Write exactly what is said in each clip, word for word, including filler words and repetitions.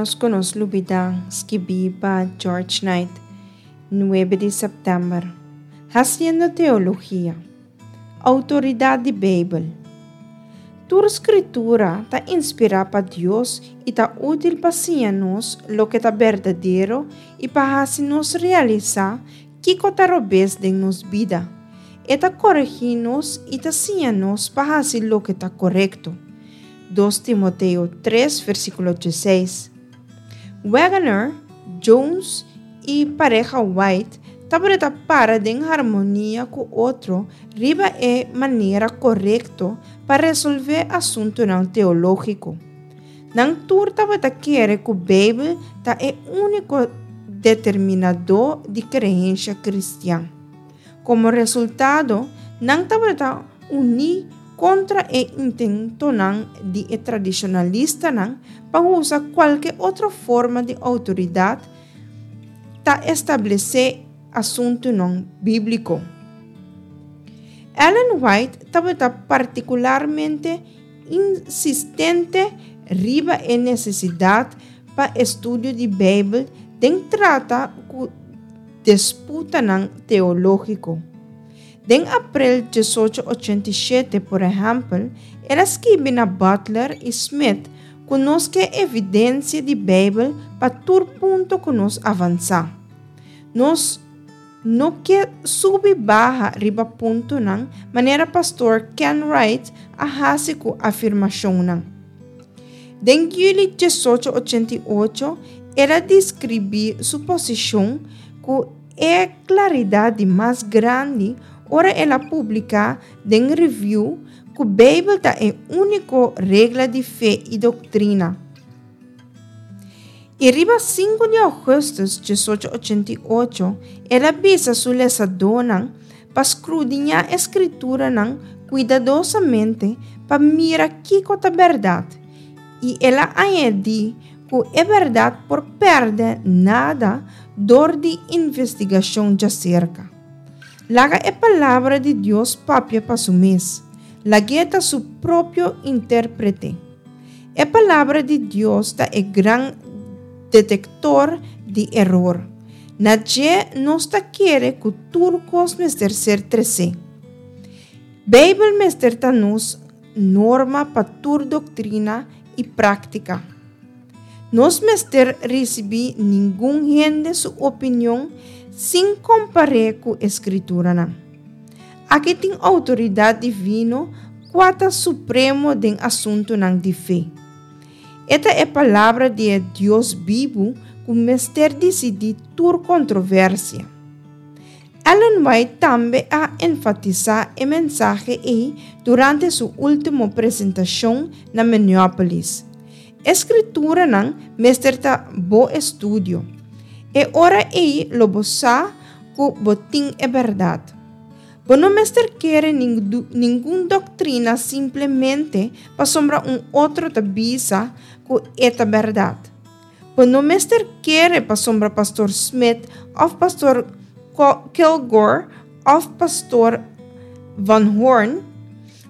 Ménos ku nos lubidá, skibí pa George Knight, nuebe di sèptèmber. Hasiendo Teologia. Outoridat di Beibel. Tur Skritura ta inspirá pa Dios i ta útil pa siña nos loke ta berdadero i pa hasi nos realisá kiko ta robes den nos bida. E ta koregí nos i ta siña nos pa hasi loke ta korekto. Dos Timoteo tres, versíkulo diesseis. Waggoner, Jones i pareha White tabata para den harmonia ku otro riba e manera korekto pa resolvé asuntunan teológiko. Nan tur tabata kere ku Beibel ta e úniko determinadó di kreensia kristian. Komo resultado, nan tabata uní kontra e intentonan di e tradishonalistanan pa usa kualke otro forma di outoridat ta establesé asuntunan bíbliko. Ellen White tabata partikularmente insistente riba e nesesidat pa estudio di Beibel den trata ku disputanan teológiko. Den aprel diesocho ochenta i shete, por ehèmpel, el a skibi na Butler i Smith ku nos ke evidensia di Beibel pa tur punto ku nos avansá. Nos no ke subi baha riba puntonan manera pastor Ken Wright a hasi ku afirmashonnan. Den yüli diesocho ochenta i ocho, el a deskribí su posishon ku e klaridat di mas grandi ora el a publiká den Review ku Beibel ta e úniko regla di fe i doktrina. I riba sinku di ougùstùs diesocho ochenta i ocho, el a bisa su lesadónan pa skrudiñá e Skrituranan kuidadosamente pa mira kiko ta bèrdat, i el a añadí ku e bèrdat por pèrdè nada dor di investigashon djaserka. Laga e Palabra di Dios papia pa su mes. Lag'é ta su propio intérprete. E Palabra di Dios ta e gran detektor di eror. Na dje nos ta kere ku tur kos mester ser tresé. Beibel mester ta nos norma pa tur doktrina i práktika. Nos mester risibí ningun hende su opinion sin kompar'é ku e Skrituranan. Aki tin outoridat divino kua ta supremo den asuntunan di fe. E ta e Palabra di e Dios bibu ku mester disidí tur kontroversia. Ellen White tambe a enfatisá e mensahe ei durante su último presentashon na Minneapolis. E Skrituranan mester ta bo estudio. E ora ei lo bo sa ku bo tin e bèrdat. Bo no mester kere ningun doktrina simplemente pasobra un otro ta bisa ku e ta bèrdat. Bo no mester kere pasobra Pastor Smith òf Pastor Kilgore òf Pastor Van Horn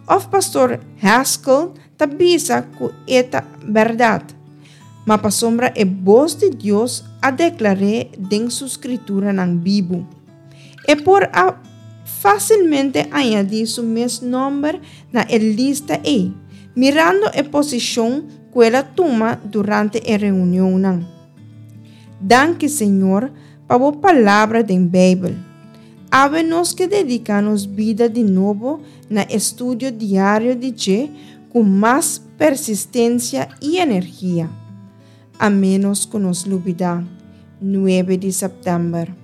òf Pastor Haskell ta bisa ku e ta bèrdat, ma pasobra e bos di Dios a deklar'é den su Skrituranan bibu. E por a fásilmente añadí su mes nòmber na e lista ei, mirando e posishon ku el a tuma durante e reunionnan. Danki, Señor, pa bo Palabra den Beibel. Awe nos ke dediká nos bida di nobo na estudio diario di dje ku mas persistensia i energia. A ménos ku nos lubidá, nuebe di sèptèmber.